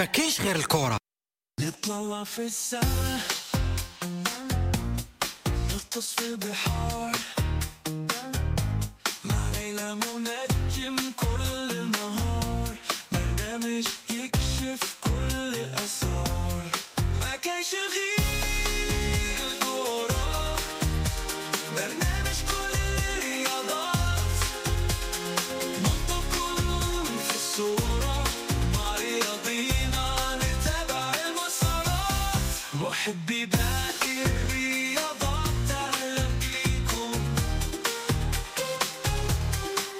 ما كاينش غير الكرة. نطلع في السما، نغطس في البحار، مع ليلى منجم كل نهار، برنامج يكشف كل الأسرار. ما كاينش غير الكرة، برنامج كل الرياضات، نحطكم في الصورة، مع رياضينا نتابع المسارات، محبي باقي الرياضات أهلا بيكم،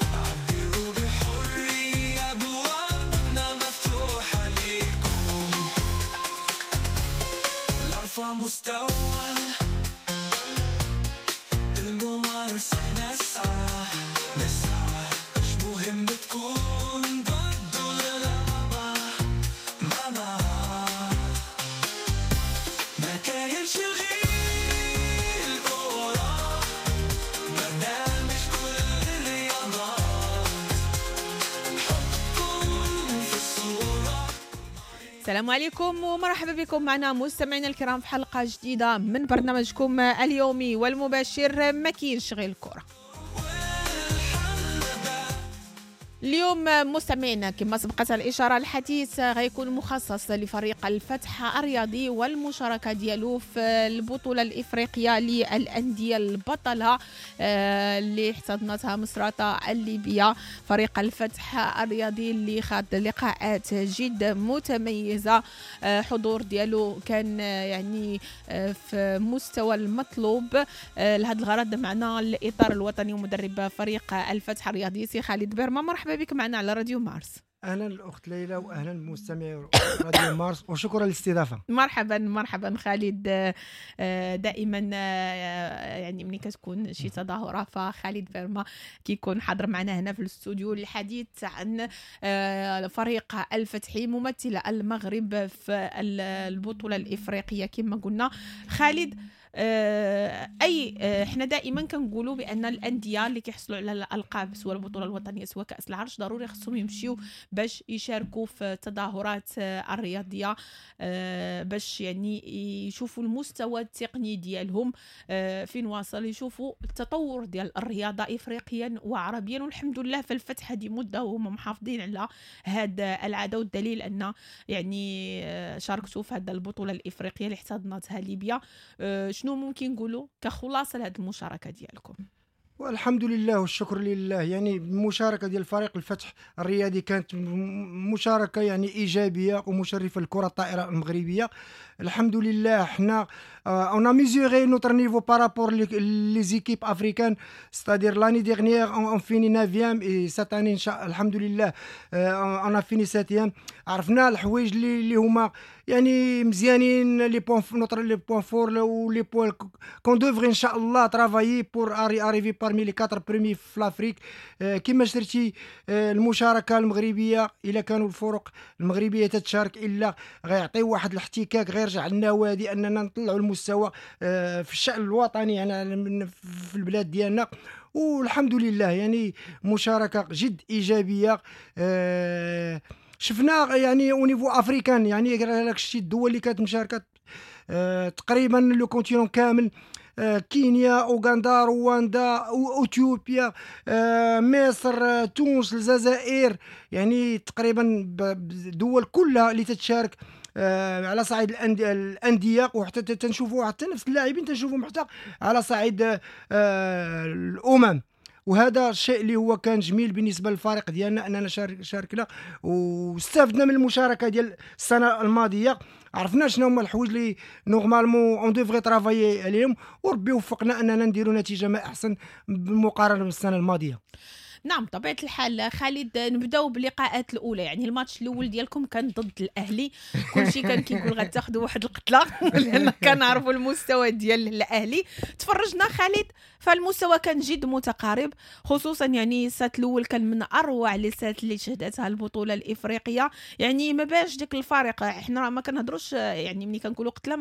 عبروا بحرية، أبوابنا مفتوحة ليكم، لأرفع مستوى الممارسة نسعى نسعى، مش مهم تكون ضد ولا لا، ما ما كاينش غير الكرة، برنامج كل الرياضات، حطكم في الصورة. السلام عليكم ومرحبا بكم معنا مستمعينا الكرام في حلقة جديدة من برنامجكم اليومي والمباشر ما كاينش غير الكرة. اليوم مستمعينا كما سبقت الإشارة، الحديث غيكون مخصص لفريق الفتح الرياضي والمشاركة ديالو في البطولة الإفريقية للأندية البطلة اللي احتضنتها مصراتة الليبية. فريق الفتح الرياضي اللي خاض لقاءات جد متميزة، حضور ديالو كان يعني في مستوى المطلوب. لهذا الغرض معنا الإطار الوطني ومدرب فريق الفتح الرياضي سي خالد بيرما. مرحبا بك معنا على راديو مارس. اهلا الاخت ليلى واهلا بمستمعي راديو مارس وشكرا للاستضافه. مرحبا مرحبا خالد. دائما يعني ملي كتكون شي تظاهرة فخالد بيرما كيكون حاضر معنا هنا في الاستوديو للحديث عن فريق الفتحي ممثل المغرب في البطولة الافريقية. كما قلنا خالد، اي حنا دائما كنقولوا بان الاندية اللي كيحصلوا على الالقاب سواء البطولة الوطنية سواء كاس العرش ضروري خصهم يمشيو باش يشاركوا في التظاهرات الرياضية، باش يعني يشوفوا المستوى التقني ديالهم فين واصل، يشوفوا التطور ديال الرياضة افريقيا وعربيا. والحمد لله فالفتح هذه مده وهم محافظين على هذا العادة، والدليل ان يعني شاركتوا في هذه البطولة الافريقية اللي احتضنتها ليبيا. شنو ممكن نقولوا كخلاصه لهذه المشاركة ديالكم؟ والحمد لله والشكر لله. يعني المشاركة ديال فريق الفتح الرياضي كانت مشاركة يعني ايجابية ومشرفه للكرة الطائرة المغربية. الحمد لله حنا on a mesuré notre niveau par rapport les équipes africaines، c'est-à-dire l'année dernière on finit 9 et cette année ان شاء الحمد لله on a fini 7. عرفنا الحوايج اللي هما يعني مزيانين، les points notre les points forts و les points qu'on devrait ان شاء الله travailler pour arriver parmi les 4 premiers في l'Afrique. كما شرتي المشاركة المغربية، الا كانوا الفرق المغربية تتشارك الا غيعطيو واحد الاحتكاك، غيرجع للنوادي اننا نطلعوا المستوى في الشأن الوطني يعني في البلاد ديالنا. والحمد لله يعني مشاركة جد ايجابية. شفنا يعني au niveau africain، يعني داك الشيء الدول اللي كانت مشاركة تقريبا le continent كامل، كينيا، اوغندا، رواندا، اثيوبيا، مصر، تونس، الجزائر، يعني تقريبا الدول كلها اللي تتشارك على صعيد الاندية، وحتى تنشوفوا حتى نفس اللاعبين تنشوفهم حتى على صعيد الامم. وهذا الشيء اللي هو كان جميل بالنسبة للفريق ديالنا اننا شاركنا واستفدنا من المشاركة ديال السنة الماضية. عرفنا شنو هما الحوايج اللي normalement on devrait travailler عليهم، وربي وفقنا اننا نديروا نتيجة ما احسن بالمقارنة بالسنة الماضية. نعم طبيعة الحال خالد، نبداو باللقاءات الأولى. يعني الماتش الأول ديالكم كان ضد الأهلي، كلشي كان كيقول غتاخذوا واحد القتلة لأن كنعرفوا المستوى ديال الأهلي. تفرجنا خالد فالمستوى كان جد متقارب، خصوصا يعني ال set الاول كان من اروع les sets اللي شهدتها البطولة الافريقيه. يعني ما باش ديك الفارق، حنا ما كنهضروش يعني ملي كنقولوا قتله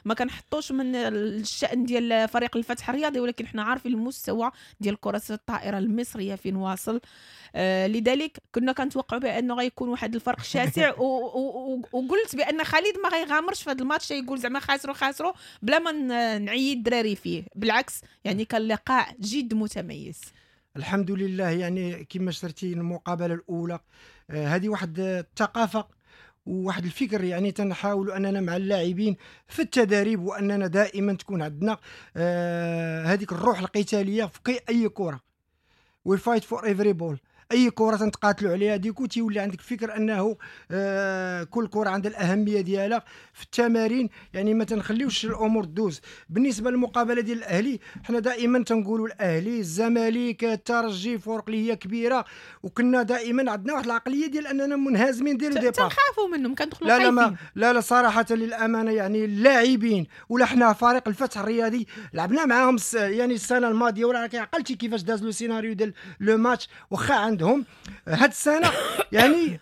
ما كنحطوش من الشأن ديال فريق الفتح الرياضي، ولكن حنا عارفين المستوى ديال كرة الطائرة المصرية فين واصل. لذلك كنا كنتوقعوا بانه غيكون واحد الفرق شاسع، وقلت بان خالد ما غيغامرش في هذا الماتش، يقول زعما خاسروا خاسروا بلا ما نعيد الدراري فيه. بالعكس يعني كان لقاء جد متميز الحمد لله. يعني كما شرتي المقابلة الاولى، هذه واحد الثقافة وواحد الفكر، يعني تنحاولوا اننا مع اللاعبين في التدريب، واننا دائما تكون عندنا هذيك الروح القتالية في اي كره، we fight for every ball، اي كره تنتقاتلوا عليها. du coup تيولي عندك فكر انه كل كره عندها الاهمية ديالها في التمارين، يعني ما تنخليوش الامور دوز. بالنسبة للمقابله ديال الاهلي، حنا دائما تنقولوا الاهلي، الزمالك، الترجي، فرق اللي هي كبيرة، وكنا دائما عندنا واحد العقلية ديال اننا منهزمين ديال départ، تنخافوا منهم، كندخلوا لا لا ما لا لا صراحة للامانة، يعني اللاعبين ولا حنا فريق الفتح الرياضي لعبنا معاهم يعني السنة الماضية، ولا عقلتي كيفاش داز le scénario ديال le match، واخا عندهم هاد السنة يعني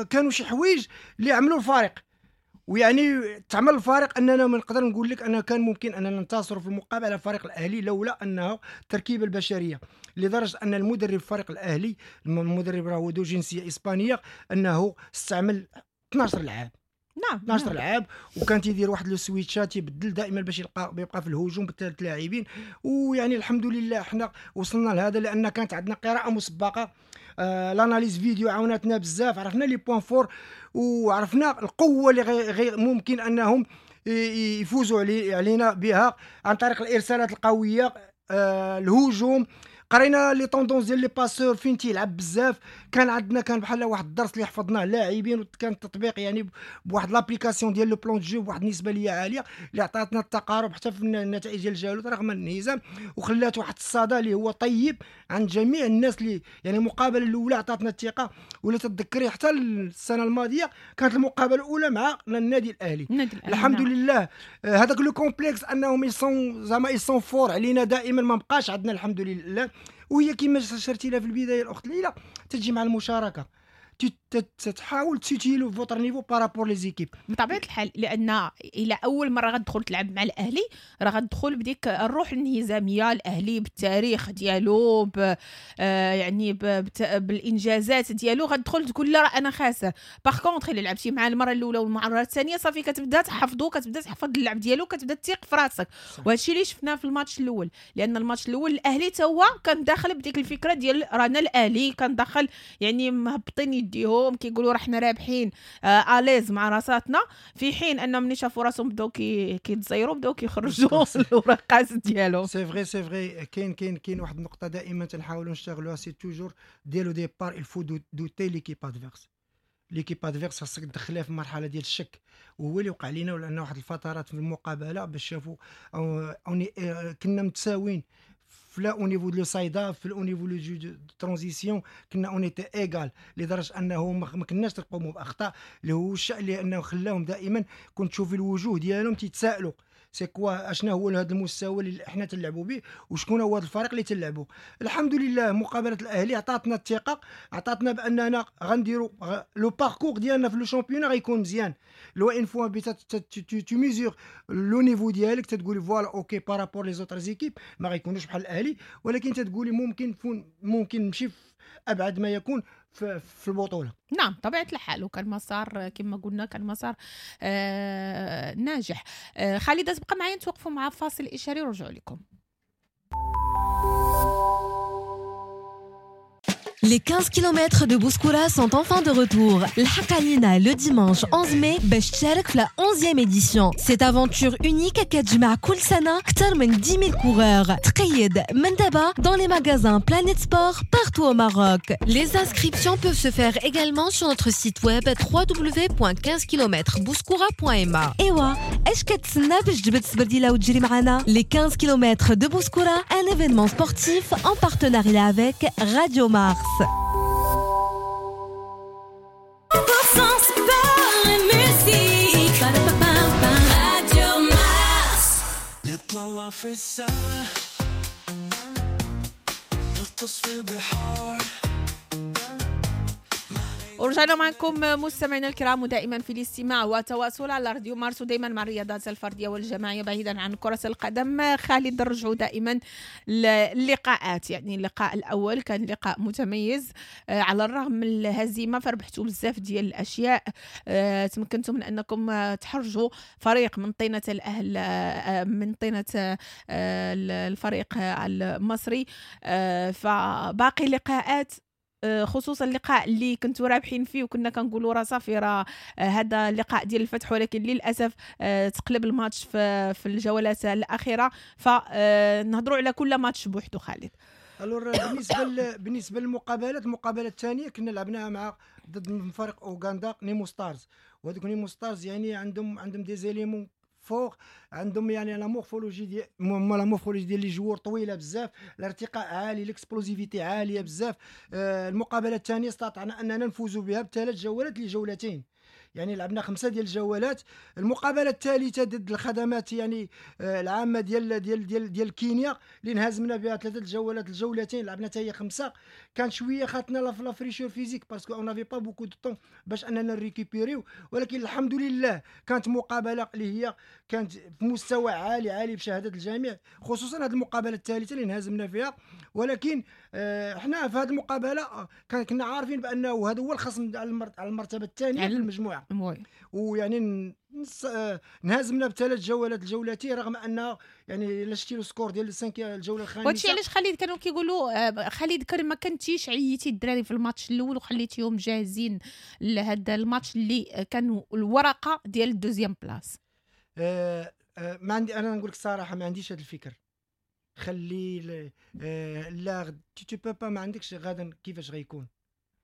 كانوا شي حوايج اللي عملوا الفارق، ويعني تعمل الفارق اننا ما نقدر نقول لك انه كان ممكن اننا ننتصروا في المقابلة على الفريق الاهلي لولا انه التركيبة البشرية، لدرجة ان المدرب الفريق الاهلي، المدرب راه ذو جنسية اسبانية، انه استعمل 12 لاعب. نعم 12 لاعب، وكان تيدير واحد le switch ات، يبدل دائما باش يبقى في الهجوم بثلاث لاعبين. ويعني الحمد لله حنا وصلنا لهذا لان كانت عندنا قراءة مسبقة، l'analyse vidéo عاونتنا بزاف، عرفنا les points forts وعرفنا القوة اللي غير ممكن انهم يفوزوا علينا بها عن طريق الارسالات القوية، الهجوم. قرينا les tendances ديال les passeurs فين تيلعب بزاف، كان عندنا كان بحال واحد الدرس اللي حفظناه اللاعبين، وكان التطبيق يعني بواحد l'application ديال le plan de jeu بواحد النسبة اللي عالية، اللي عطاتنا التقارب حتى في النتائج ديال الجولات رغم الانهزام، وخلات واحد الصدى اللي هو طيب عند جميع الناس. اللي يعني المقابلة الاولى عطاتنا الثقة، ولا تتذكري حتى السنة الماضية كانت المقابلة الاولى مع النادي الاهلي. الحمد لله هذاك le complexe انهم ils sont زعما ils sont forts علينا دائما ما بقاش عندنا الحمد لله. وهي كما شرتي لها في البداية الاخت ليلى، تجي مع المشاركة، تحاول تسيتيلو votre niveau par rapport les équipes بطبيعة الحال، لان الى اول مرة غتدخل تلعب مع الاهلي راه غتدخل بديك الروح الانهزاميه، الاهلي بالتاريخ ديالو يعني بالانجازات ديالو، غتدخل تقول لا راه انا خاسر. par contre الا لعبتي مع المرة الاولى والمرة الثانية صافي كتبدا تحفظو، كتبدا تحفظ اللعب ديالو، كتبدا تثيق في راسك. وهادشي اللي شفناه في الماتش الاول، لان الماتش الاول الاهلي تا هو كان داخل بديك الفكرة ديال رانا الاهلي، كان داخل يعني مهبطين يديهم كيقولوا راه حنا رابحين à l'aise مع راساتنا، في حين انهم ملي شافوا راسهم بداو كيتزيروا، بداو كيخرجوا الورقات ديالهم. c'est vrai c'est vrai. كاين واحد النقطة دائما تنحاولوا نشتغلوها، c'est toujours dès le départ il faut douter l'équipe adverse. l'équipe adverse خاصك تدخلها في مرحلة ديال الشك، وهو اللي وقع لينا، ولان واحد الفترات في المقابلة باش شافوا كنا متساويين في لا au niveau de side-up، في au niveau le jeu de transition، كنا on était égal، لدرجة انه ما كناش نقوموا باخطاء، اللي هو الشيء اللي انه خلاهم دائما كنت تشوفي الوجوه ديالهم تيتسائلوا c'est quoi، اشنا هو هذا المستوى اللي حنا تنلعبوا به، وشكون هو هذا الفريق اللي تنلعبوا. الحمد لله مقابله الاهلي عطاتنا الثقة، عطاتنا باننا غنديروا le parcours ديالنا في le championnat غيكون مزيان. لو une fois tu mesures le niveau ديالك تتقولي voilà OK par rapport les autres équipes ما غيكونوش بحال الاهلي، ولكن تتقولي ممكن نمشي في ابعد ما يكون في البطولة. نعم طبيعة الحال، وكان مسار كما قلنا كان مسار ناجح. خالدة تبقى معايا، نتوقفوا مع فاصل اشاري ونرجعوا لكم. Les 15 km de Bouskoura sont enfin de retour. الحق علينا le dimanche 11 mai باش تشارك في la 11e édition. Cette aventure unique كتجمع كل سنة أكثر من 10 000 coureurs. تقيد من دابا dans les magasins Planet Sport partout au Maroc. Les inscriptions peuvent se faire également sur notre site web www.15kmbouskoura.ma. إيوا اش كتسنى باش تجبد السبرديلة وتجري معنا؟ Les 15 km de Bouskoura, un événement sportif en partenariat avec Radio Mars. Sport et musique. Radio Mars. Le plan نطلع في السما، نغطس في البحار. ورجعنا معكم مستمعينا الكرام، ودائما في الاستماع والتواصل على راديو مارس، ودائما مع الرياضات الفردية والجماعيه بعيدا عن كره القدم. خالد، نرجعوا دائما للقاءات، يعني اللقاء الاول كان لقاء متميز على الرغم من الهزيمة فربحتوا بزاف ديال الاشياء، تمكنتم من انكم تحرجوا فريق من طينه الاهل، من طينه الفريق المصري. فباقي لقاءات، خصوصا اللقاء اللي كنتوا رابحين فيه وكنا كنقولوا راه صافي راه هذا اللقاء ديال الفتح، ولكن للاسف تقلب الماتش في الجولات الاخيرة. فنهضروا على كل ماتش بوحدو خالد. alors بالنسبة للمقابلات، المقابلة الثانية كنا لعبناها مع ضد فريق اوغندا نيمو ستارز، وهذوك نيمو ستارز يعني عندهم des éléments forts، عندهم يعني la morphologie ديال les joueurs طويلة بزاف، الارتقاء عالي، l'explosivité عالية بزاف. المقابلة الثانية استطعنا اننا نفوزوا بها بثلاث جولات لجولتين، يعني لعبنا خمسة ديال الجولات. المقابلة الثالثة ضد الخدمات يعني العامة ديال كينيا اللي انهزمنا بها ثلاثة الجولات الجولتين، لعبنا حتى هي خمسه. كان شوية خاطنا la fraîcheur physique parce qu'on avait pas beaucoup de temps باش اننا نريكوبيريو، ولكن الحمد لله كانت مقابله اللي هي كانت في مستوى عالي عالي بشهادة الجميع، خصوصا هذه المقابلة الثالثة اللي انهزمنا فيها. ولكن حنا في هذه المقابلة كنا عارفين بانه هذا هو الخصم على المرتبة الثانية في المجموعه، ويعني انهزمنا بثلاث جولات الجولتين، رغم ان يعني الا شتي le score ديال ال cinq الجولة الخامسه. وهادشي علاش خالد كانوا كيقولوا خالد كان ما كنتيش عييتي الدراري في الماتش الاول وخليتيهم جاهزين لهذا الماتش اللي كانوا الورقة ديال ال deuxième place. ما عندي، انا نقول لك الصراحة ما عنديش هذا الفكر. خلي لا tu peux pas، ما عندكش غدا كيفاش غيكون.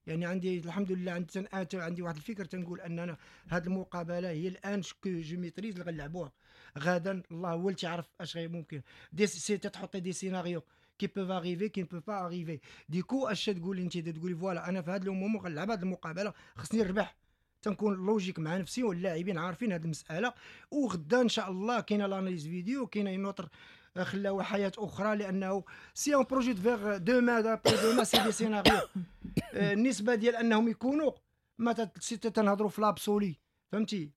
يعني عندي الحمد لله عندي واحد الفكر، تنقول اننا هذه المقابلة هي الان que je maîtrise اللي غنلعبوها، غدا الله هو اللي تعرف اش غير ممكن. des si تحطي des scénarios qui peuvent arriver، qui peuvent pas arriver. du coup اش تقولي انت؟ تقولي voilà انا في هذا le moment غنلعب هذه المقابله، خصني نربح. تنكون logique مع نفسي واللاعبين عارفين هذه المساله. وغدا ان شاء الله كاينه l'analyse vidéo، كاينه une autre خلاو حياة اخرى، لانه si on projette vers demain، après-demain، c'est des scénarios. النسبة ديال انهم يكونوا ما تنهضروا في l'absolu، فهمتي؟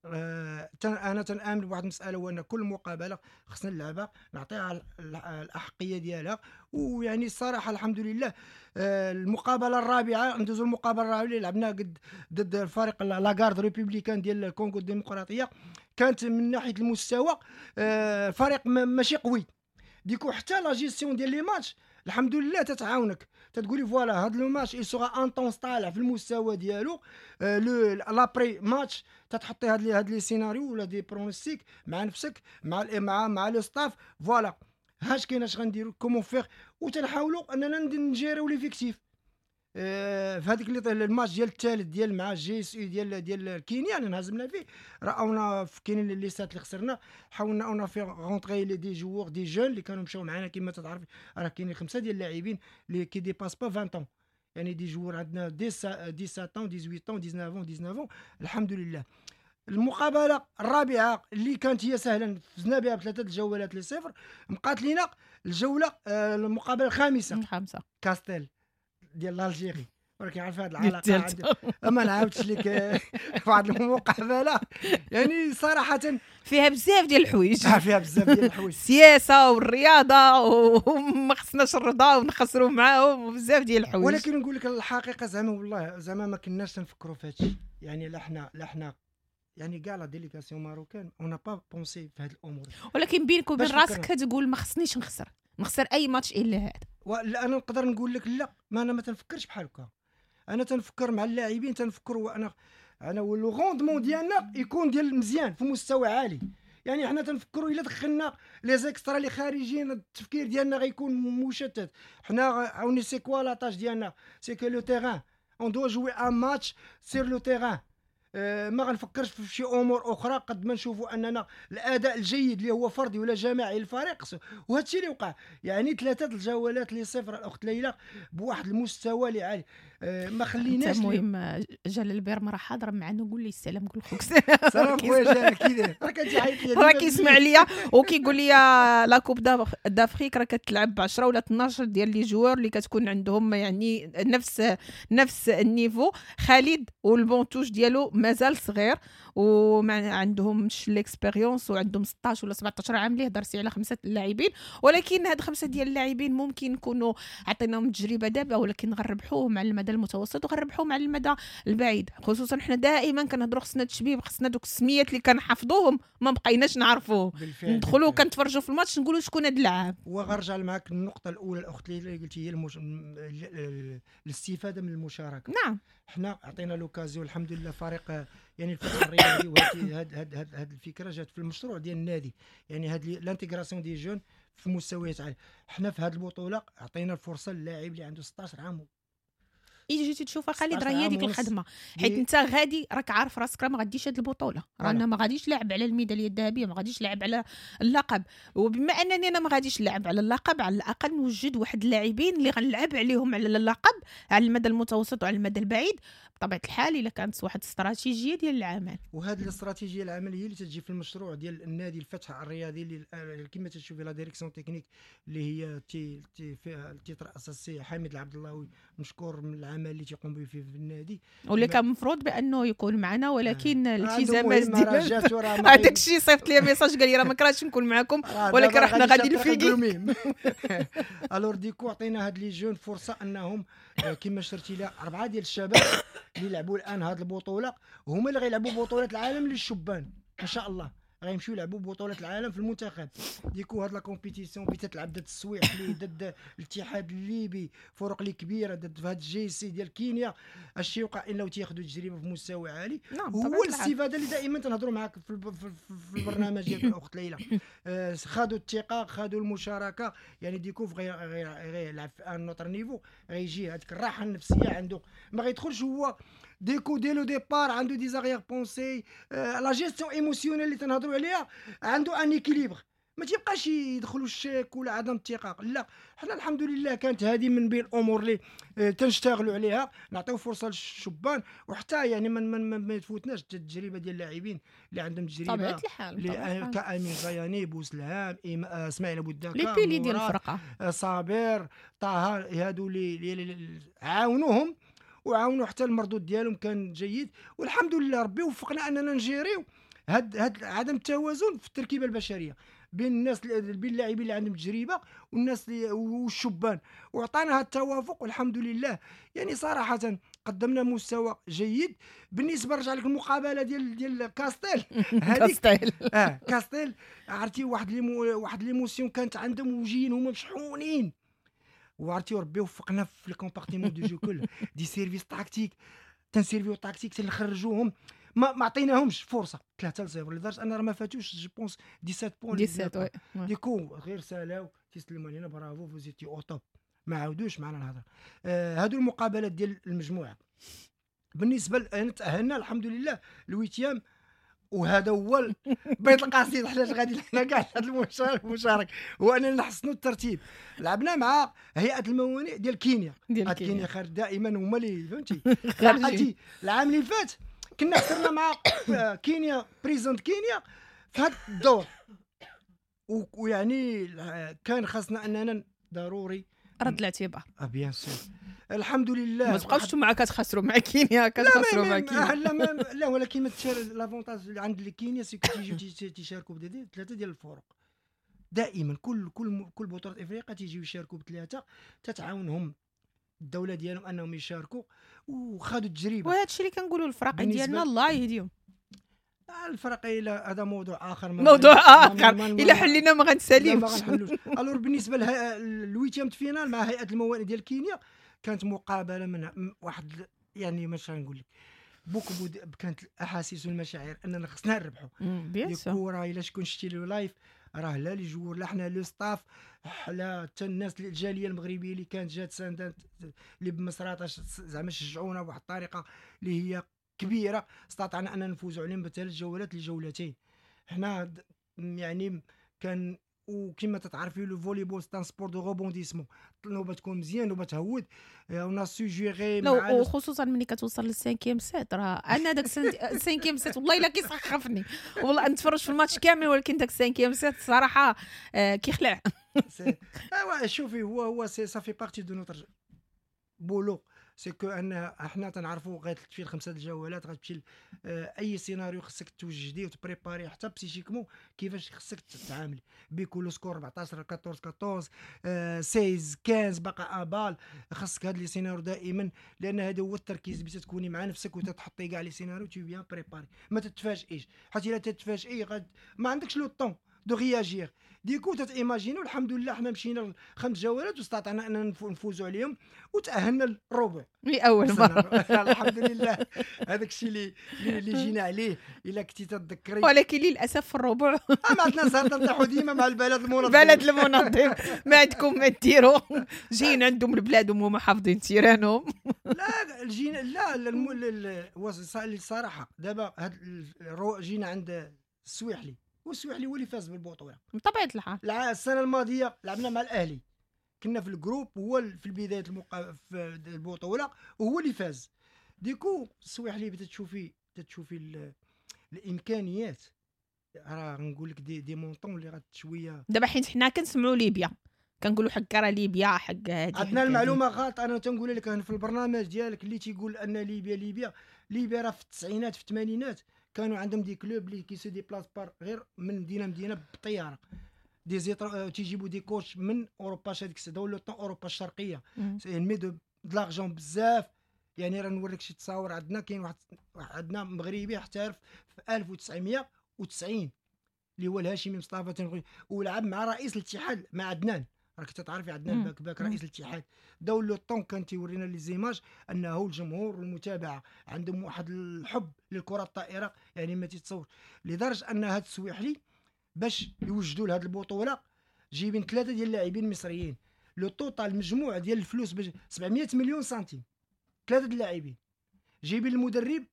انا تنامن بواحد المساله، هو ان كل مقابله خصنا نلعبها نعطيها الاحقيه ديالها. ويعني الصراحة الحمد لله المقابلة الرابعه، ندوزو المقابلة الرابعة اللي لعبناها قد ضد الفريق la garde républicaine ديال الكونغو الديمقراطيه، كانت من ناحية المستوى فريق ماشي قوي. du coup حتى la gestion ديال les matchs الحمد لله تتعاونك، تتقولي voilà هاد le match il sera intense، طالع في المستوى ديالو. le l'après-match تتحطي هاد les scénarios ولا des pronostics مع نفسك، مع le staff، voilà هاش كاين، اش غنديرو، comment faire، وتنحاولوا اننا نجيريو l'effectif. في هذيك الماتش ديال الثالث ديال مع JSU ديال كينيا اللي انهزمنا فيه، راونا كاينين les sets اللي خسرنا، حاولنا on a fait rentrer les des joueurs، des jeunes اللي كانوا مشاو معنا. كما تعرف راه كاينين خمسة ديال اللاعبين اللي qui dépassent pas 20 ans، يعني des joueurs عندنا 17 ans، 18 ans، 19 19. الحمد لله المقابلة الرابعة اللي كانت هي سهلا فزنا بها بثلاثة الجولات لصفر. بقات لينا الجولة المقابلة الخامسه. الخامسه. كاستيل ديال l'Algérie، ولكن عارف هذه العلاقه، ما نعاودش لك واحد المقابلة يعني صراحة فيها بزاف ديال الحوايج. فيها بزاف ديال الحوايج. السياسة والرياضه، وما خصناش الرضا ونخسروا معاهم، وبزاف ديال الحوايج. ولكن نقول لك الحقيقة زعما والله زعما ما كناش نفكروا في هادشي، يعني لا حنا يعني كاع la délégation marocaine on n'a pas pensé في هاد الامور. ولكن بينك وبين راسك كتقول ما خصنيش نخسر اي ماتش الا هذا. لا انا نقدر نقول لك لا، ما انا ما تنفكرش بحال هكا. انا تنفكر مع اللاعبين، تنفكر وانا le rendement ديالنا يكون ديال مزيان في مستوى عالي. يعني حنا تنفكروا الا دخلنا les extras اللي خارجين التفكير ديالنا غيكون مشتت. حنا عاوني c'est quoi la tâche ديالنا؟ c'est que le terrain، on doit jouer un match sur le terrain. ما غنفكرش في شي امور اخرى قد ما نشوفوا اننا الاداء الجيد اللي هو فردي ولا جماعي للفريق. وهذا الشيء اللي وقع، يعني 3 الجولات ل0 الاخت ليلى بواحد المستوى اللي عالي، ما خليناش. المهم جلال بيرما راه حاضر معنا، قول لي السلام، قول خوك سلام خويا جلال، كي داير؟ راه كتعيط لي، راه كيسمع ليا وكيقول لي la Coupe d'Afrique راه كتلعب ب 10 ولا 12 ديال les joueurs اللي كتكون عندهم يعني نفس ال niveau. خالد وال banc de touche ديالو مازال صغير وما عندهمش l'expérience وعندهم 16 ولا 17 عام، اللي هضرتي على خمسة اللاعبين، ولكن هاد خمسة ديال اللاعبين ممكن نكونوا عطيناهم تجربه دابا، ولكن غنربحوهم على المدى المتوسط وغنربحوهم على المدى البعيد. خصوصا حنا دائما كنهضروا خصنا التشبيب، خصنا دوك السميات اللي كنحفظوهم ما بقيناش نعرفوهم، ندخلوا كنتفرجوا في الماتش نقولوا شكون هاد اللاعب. وغنرجع معك النقطة الاولى الاخت اللي قلتي، هي الاستفادة من المشاركه. حنا عطينا l'occasion الحمد لله فريق يعني الفتح الرياضي، وهذه هاد الفكرة جات في المشروع ديال النادي، يعني هاد l'intégration des jeunes في مستويات عالية. حنا في هذه البطولة عطينا الفرصة للاعب اللي عنده 16 عام. اجي جيتي تشوف خالد راه هي ديك الخدمه، حيت انت غادي راك عارف راسك راه ما غاديش هاد البطوله، رانا ما غاديش لاعب على الميداليه الذهبيه، ما غاديش لاعب على اللقب. وبما انني انا ما غاديش نلعب على اللقب، على الاقل نوجد واحد اللاعبين اللي غنلعب عليهم على اللقب على المدى المتوسط وعلى المدى البعيد، بطبيعة الحال الا كانت واحد الاستراتيجية ديال العمل. وهذه الاستراتيجية العمل هي اللي تجي في المشروع ديال النادي الفتح الرياضي، اللي كما تشوفي la direction technique اللي هي تي تي فيها تيترأس السي حميد العبد اللهوي، مشكور من العمل اللي تيقوم به في النادي، واللي كان المفروض بانه يكون معنا، ولكن الالتزامات ديال هذاك الشيء. صيفط لي message قال لي راه ما كرهتش نكون معكم ولكن راه حنا غادي الفيكي. alors du coup عطينا هاد les jeunes فرصة انهم كما شرتي لها اربعة ديال الشباب اللي لعبوا الان هاد البطوله، هما اللي غيلعبوا بطوله العالم للشبان ان شاء الله، غيمشيو يلعبوا بطوله العالم في المنتخب. du coup هاد la compétition بتتلعب ضد السويحلي، ضد الاتحاد الليبي، فرق اللي كبيره، ضد هاد ال JC ديال كينيا. الشيء وقع انه تياخذوا تجربه في مستوى عالي. هو الاستفادة اللي دائما تنهضروا معاك في البرنامج ديالك الاخت ليلى. خادوا الثقه، خادوا المشاركه، يعني du coup غير يلعب في un autre niveau، غيجي هذيك الراحة النفسية عنده، ما غيدخلش هو du coup dès le départ عنده des arrière-pensées. la gestion émotionnelle اللي تنهضروا عليها، عنده un équilibre، ما تيبقاش يدخلوا الشك ولا عدم الثقه. لا، حنا الحمد لله كانت هذه من بين الامور اللي تنشتغلوا عليها، نعطيو فرصة للشبان، وحتى يعني ما تفوتناش التجربة ديال اللاعبين اللي عندهم تجربه. طبيعة الحال. كامين غياني، بوسلهام، اسماعيل ابو الدكا، les piliers ديال الفرقه. صابر، طه، هادو اللي عاونوهم وعاونوا حتى المردود ديالهم كان جيد. والحمد لله ربي وفقنا اننا نجيريو هاد عدم التوازن في التركيبة البشرية بين الناس، بين اللاعبين اللي عندهم تجربه والناس اللي والشبان، وعطانا هذا التوافق والحمد لله. يعني صراحة قدمنا مستوى جيد. بالنسبة رجع لك المقابلة ديال كاستيل. كاستيل. كاستيل، عرفتي واحد l'émotion كانت عندهم وجايين هما مشحونين، وعرفتي ربي وفقنا في ال compartiment de jeu كل des services tactiques، تنسيرفيو tactique، تنخرجوهم، ما عطيناهمش فرصه، 3-0، لدرجة ان راه ما فاتوش je pense 17 points. 17، oui. du coup غير سالاو تيسلموا علينا: bravo، vous étiez au top. ما عاودوش معنا الهضره. هادو المقابلات ديال المجموعه. بالنسبة تاهلنا الحمد لله ال huitième، وهذا هو بيت القصيد. حنا غادي حنا كاع هذا المشارك هو اننا نحسنوا الترتيب. لعبنا مع هيئة الموانئ ديال كينيا. ديال كينيا خارج دائما هما اللي فهمتي. عرفتي العام اللي فات كنا خسرنا مع كينيا Prisons كينيا في هذا الدور، ويعني كان خاصنا اننا ضروري رد الاعتبار. اه bien sûr، الحمد لله. ما تبقاوش مع كتخسروا مع كينيا، كتخسروا مع كينيا. لا ما لا، ولكن ما l'avantage اللي عند كينيا c'est que تيجيو تيشاركوا بثلاثة ديال الفرق دائما. كل بطوله افريقيا تيجيو يشاركوا بثلاثه، تتعاونهم الدولة ديالهم انهم يشاركوا وخذوا التجربه. وهذا الشيء اللي كنقولوا الفرق ديالنا الله يهديهم. الفرق الى هذا موضوع اخر. موضوع اخر، الا حلينا ما غنساليوش. ما غنحلوش. alors بالنسبة لل huitième finale مع هيئة الموانئ ديال كينيا، كانت مقابله من واحد يعني ماش غنقول لك beaucoup، كانت الاحاسيس والمشاعر اننا خصنا نربحوا. الكره الا شكون شتي le live راه لا les joueurs، لا حنا le staff، لا حتى الناس الجالية المغربية اللي كانت جات ساندات اللي بمصراتة زعما شجعونا بواحد الطريقة اللي هي كبيرة، استطعنا ان نفوزوا عليهم بثلاث جولات لجولتين. حنا يعني كان، وكما تتعرفي le volley-ball c'est un sport de rebondissement، نوبه تكون مزيان نوبه تهود، on a su gérer. مع وخصوصا ملي كتوصل لل cinquième set، راه انا داك ال cinquième set والله الا كيسخفني، والله نتفرج في الماتش كامل ولكن داك ال cinquième set الصراحة كيخلع. ايوا شوفي، هو c'est ça fait partie de notre boulot، c'est que ان احنا تنعرفوا غتمشي لخمسة الجولات، غتمشي اي سيناريو خصك توجديه وت préparer حتى psychiquement كيفاش خصك تتعامل بكل score 14 14 14 16 15 باقا balle، خصك هاد les scénarios دائما، لان هذا هو التركيز باش تكوني مع نفسك وتتحطي كاع les scénarios، t'es bien préparée، ما تتفاجئيش، حيت الا تتفاجئي غاد ما عندكش le temps de réagir، du coup تت imaginer. الحمد لله حنا مشينا خمس جولات واستطعنا ان نفوزوا عليهم وتاهلنا للربع. لاول مره. الحمد لله، هذاك الشيء اللي جينا عليه الا كنتي تتذكري. ولكن للاسف في الربع ما عندنا زهر، نطيحوا ديما مع البلد المنظم. البلد المنظم، ما عندكم ما ديروا، جايين عندهم البلاد وهما حافظين تيرانهم. لا جينا لا الصراحة دابا هاد جينا عند السويحلي، والسويحلي هو اللي فاز بالبطوله. بطبيعة الحال. السنة الماضية لعبنا مع الاهلي، كنا في ال groupe، هو في البداية في البطولة وهو اللي فاز. du coup السويحلي تتشوفي الامكانيات، راه نقول لك des montants اللي غاد شويه. دابا حيت حنا كنسمعوا ليبيا كنقولوا حق راه ليبيا حق هادي، عندنا المعلومة غلط. انا تنقول لك في البرنامج ديالك اللي تيقول ان ليبيا ليبيا ليبيا راه في التسعينات في الثمانينات كانوا عندهم des clubs اللي qui se déplacent par غير من مدينة مدينة بالطياره، تيجيبوا des coachs من اوروبا، هذيك le temps اوروبا الشرقيه، mais de l'argent بزاف. يعني راه نوريك شي تصاور، عندنا كاين واحد عندنا مغربي احترف في 1990 اللي هو الهاشمي مصطفى، ولعب مع رئيس الاتحاد مع عدنان، راك تتعرفي عدنان باك رئيس الاتحاد. dans le temps كان تيورينا les images انه الجمهور والمتابعة عندهم واحد الحب للكرة الطائرة، يعني ما تتصور، لدرجة ان هاد السويحلي باش يوجدوا لهاد البطولة جايبين 3 ديال اللاعبين مصريين، le total المجموع ديال الفلوس باش 700 مليون سنتيم، 3 ديال اللاعبين، جايبين المدرب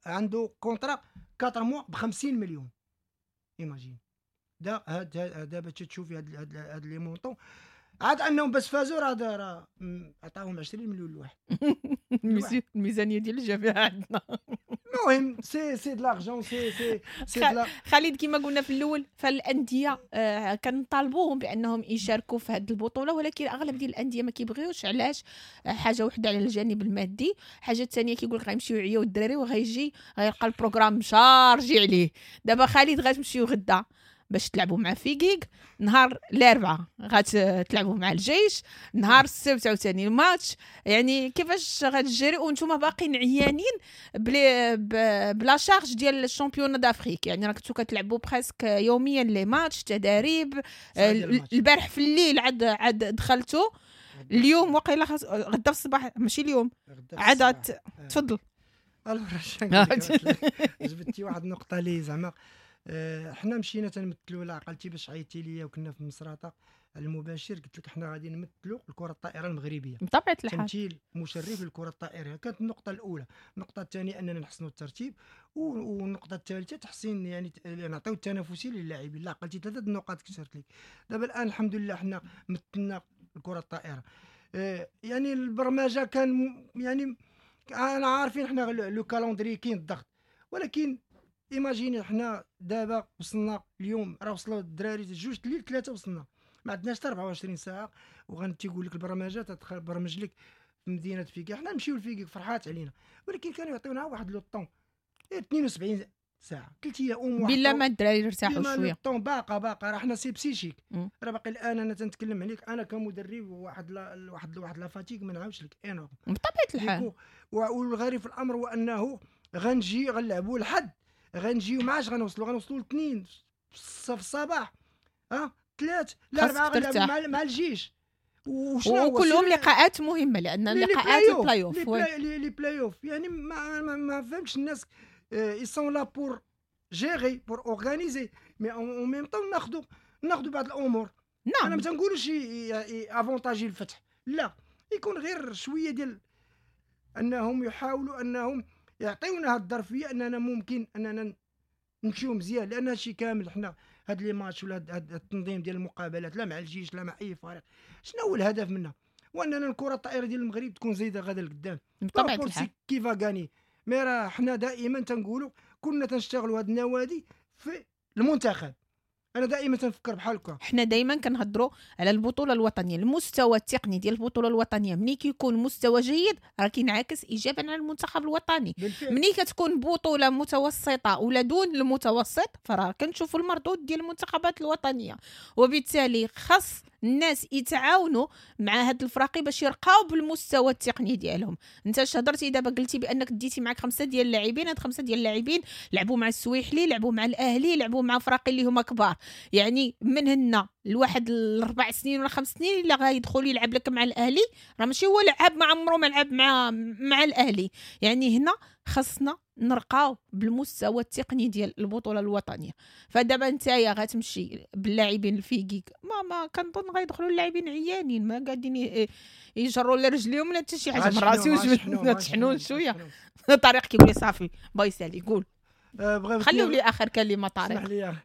عنده contrat 4 mois ب 50 مليون. imagine دا هاد دابا تشوفي هاد les montants، عاد انهم بس فازوا راه عطاهم 20 مليون الواحد. الميزانية ديال الجامعة عندنا. المهم c'est de l'argent، c'est c'est خالد كما قلنا في الاول، فالانديه كنطالبوهم بانهم يشاركوا في هذه البطوله، ولكن اغلب ديال الاندية ما كيبغيوش. علاش؟ حاجة وحده على الجانب المادي، حاجة ثانية كيقول لك غيمشيو يعياو الدراري وغيجي غيلقى ال programme chargé عليه. دابا خالد غتمشيو غدا باش تلعبوا مع فيكيك، نهار الاربعاء غتلعبوا مع الجيش، نهار السبت عاوتاني الماتش، يعني كيفاش غتجري وانتم باقيين عيانين ب la charge ديال ال championnat d'Afrique؟ يعني راه كنتو كتلعبوا presque يوميا les matchs، تداريب، البارح في الليل عاد دخلتوا، اليوم وقيلا غدا في الصباح، ماشي اليوم عاد. تفضل. جبتي واحد النقطة لي زعما حنا مشينا تنمثلوا، لا عقلتي باش عيطتي ليا وكنا في مصراطه المباشر، قلت لك حنا غادي نمثلوا الكره الطائرة المغربية بطبيعة الحال، تمثيل مشرف للكرة الطائرة. كانت النقطة الاولى. النقطة الثانية اننا نحسنوا الترتيب، والنقطة الثالثة تحسين يعني نعطيو التنافسية للاعبين. لا عقلتي 3 النقاط كثرت لك. دابا الان الحمد لله حنا مثلنا الكره الطائرة. يعني البرمجة كان يعني انا عارفين حنا le calendrier كاين الضغط، ولكن imaginez حنا دابا وصلنا اليوم، راه وصلوا الدراري 2 الليل 3 وصلنا، ما عندناش حتى 24 ساعة، وغنتيقول لك البرمجة تبرمج لك في مدينة فيكيك. حنا نمشيو لفيكيك فرحات علينا، ولكن كانوا يعطيونا واحد le temps 72 ساعة، 3 ايام بلا ما الدراري يرتاحوا شوية. temps باقا راه حنا c'est psychique، راه باقي الان انا تنتكلم عليك انا كمدرب واحد la واحد واحد la fatigue ما نعاودش لك énorme بطبيعة الحال. والغريب في الامر هو انه غنجي غنلعبوا لحد غنجيو ما عادش غنوصلوا الاثنين في الصباح، 3 لا 4 غنلعبوا مع الجيش، وكلهم لقاءات مهمة لان لقاءات ال play-off، les play-off. يعني ما فهمتش الناس ils sont là pour gérer pour organiser mais en même temps ناخذوا بعض الامور. نعم. انا ما تنقولوش avantager الفتح، لا، يكون غير شوية ديال انهم يحاولوا انهم يعطيونا هاد الظرفية اننا ممكن اننا نمشيو مزيان، لان هادشي كامل حنا هاد les matchs ولا هاد التنظيم ديال المقابلات لا مع الجيش لا مع اي فريق، شنو هو الهدف منها؟ واننا الكره الطائرة ديال المغرب تكون زايدة غادا لقدام بطبيعة الحال. qui va gagner. mais راه حنا دائما تنقولوا كنا تنشتغلوا هاد النوادي في المنتخب. انا دائما تنفكر بحال هكا. حنا دائما كنهضروا على البطولة الوطنية، المستوى التقني ديال البطولة الوطنية ملي كيكون مستوى جيد راه كينعكس ايجابا على المنتخب الوطني. ملي كتكون بطوله متوسطه ولا دون المتوسط فراه كنشوفوا المردود ديال المنتخبات الوطنية، وبالتالي خاص الناس يتعاونوا مع هاد الفراقي باش يرقاو بالمستوى التقني ديالهم. انت اش هضرتي دابا؟ قلتي بانك ديتي معك 5 ديال اللاعبين، هاد 5 ديال اللاعبين لعبوا مع السويحلي، لعبوا مع الاهلي، لعبوا مع فراقي اللي هما كبار، يعني من هنا لواحد 4 سنين ولا 5 سنين الا غيدخل يلعب لك مع الاهلي راه ماشي هو لعب، ما عمره ما لعب مع الاهلي. يعني هنا خاصنا نرقاو بالمستوى التقني ديال البطولة الوطنية. فدابا نتايا غتمشي باللاعبين الفيكيك ما كنظن غيدخلوا اللاعبين عيانين ما قاعدين يجروا لا رجليهم ولا حتى شي حاجة. من راسي وجبت شوية طارق كيقول لي صافي باي سالي قول. خليو لي اخر كلمة طارق. اسمح لي،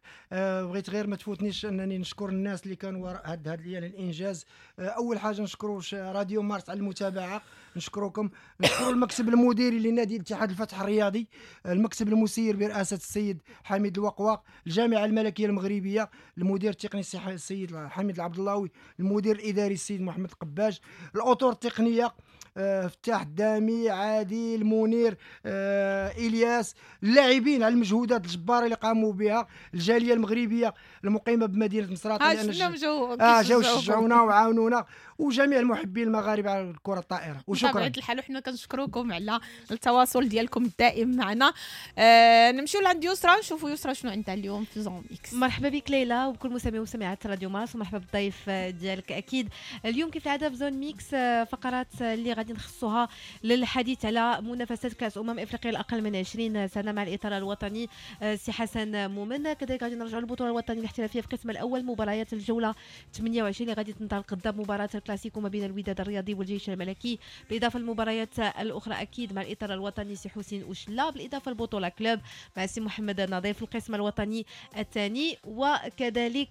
بغيت غير ما تفوتنيش انني نشكر الناس اللي كانوا وراء هذا الانجاز. اول حاجة نشكروا راديو مارس على المتابعة، نشكركم، نشكروا المكتب المديري لنادي الاتحاد الفتح الرياضي، المكتب المسير برئاسة السيد حميد الوقواق، الجامعة الملكية المغربية، المدير التقني السيد حميد العبد اللاوي، المدير الاداري السيد محمد القباج، الاطر التقنية فتاح الدامي، عادل، منير، الياس، اللاعبين على المجهودات الجبارة اللي قاموا بها، الجالية المغربية المقيمه بمدينة مصراتة لان جاو شجعونا وعاونونا، وجميع المحبين المغاربة على الكره الطائرة. وشكرا بطبيعة الحال، وحنا كنشكركم على التواصل ديالكم الدائم معنا. نمشيو لعند يسرا نشوفوا يسرا شنو عندها اليوم في Zone Mixte. مرحبا بك ليلى وبكل مستمعي ومستمعات راديو مارس، ومرحبا بالضيف ديالك. اكيد اليوم كيف العادة في Zone Mixte فقرات اللي غادي نخصوها للحديث على منافسات كاس افريقيا الاقل من 20 سنة مع الاطار الوطني سي حسن مومن. كذلك غادي نرجعوا للبطولة الوطنية الاحترافية في القسم الاول، مباريات الجولة 28 اللي غادي تنطلق غدا مباراة الكلاسيكو ما بين الوداد الرياضي والجيش الملكي، بالاضافة للمباريات الاخرى اكيد مع الاطار الوطني سي حسين اوشلا، بالاضافة للبطولة club مع سي محمد النظيف في القسم الوطني الثاني، وكذلك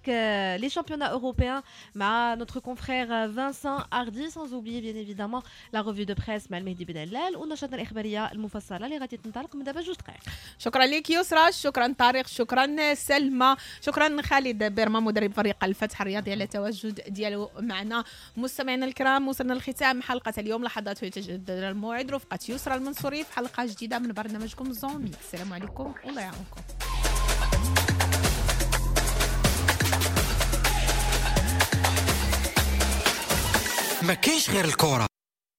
les championnats européens مع notre confrère Vincent Hardy، sans oublier bien évidemment la revue de presse مع المهدي بن علال ونشرتنا الاخبارية المفصلة اللي غادي تنطلق من دابا 2 دقائق. شكرا لك يسرا، شكرا طارق، شكرا سلمى، شكرا خالد بيرما مدرب فريق الفتح الرياضي على التواجد ديالو معنا. مستمعينا الكرام، وصلنا لختام حلقة اليوم، لحظات يتجدد الموعد رفقه يسرا المنصوري في حلقة جديدة من برنامجكم Zone Mixte. السلام عليكم والله يعاونكم. ما كاينش غير الكره.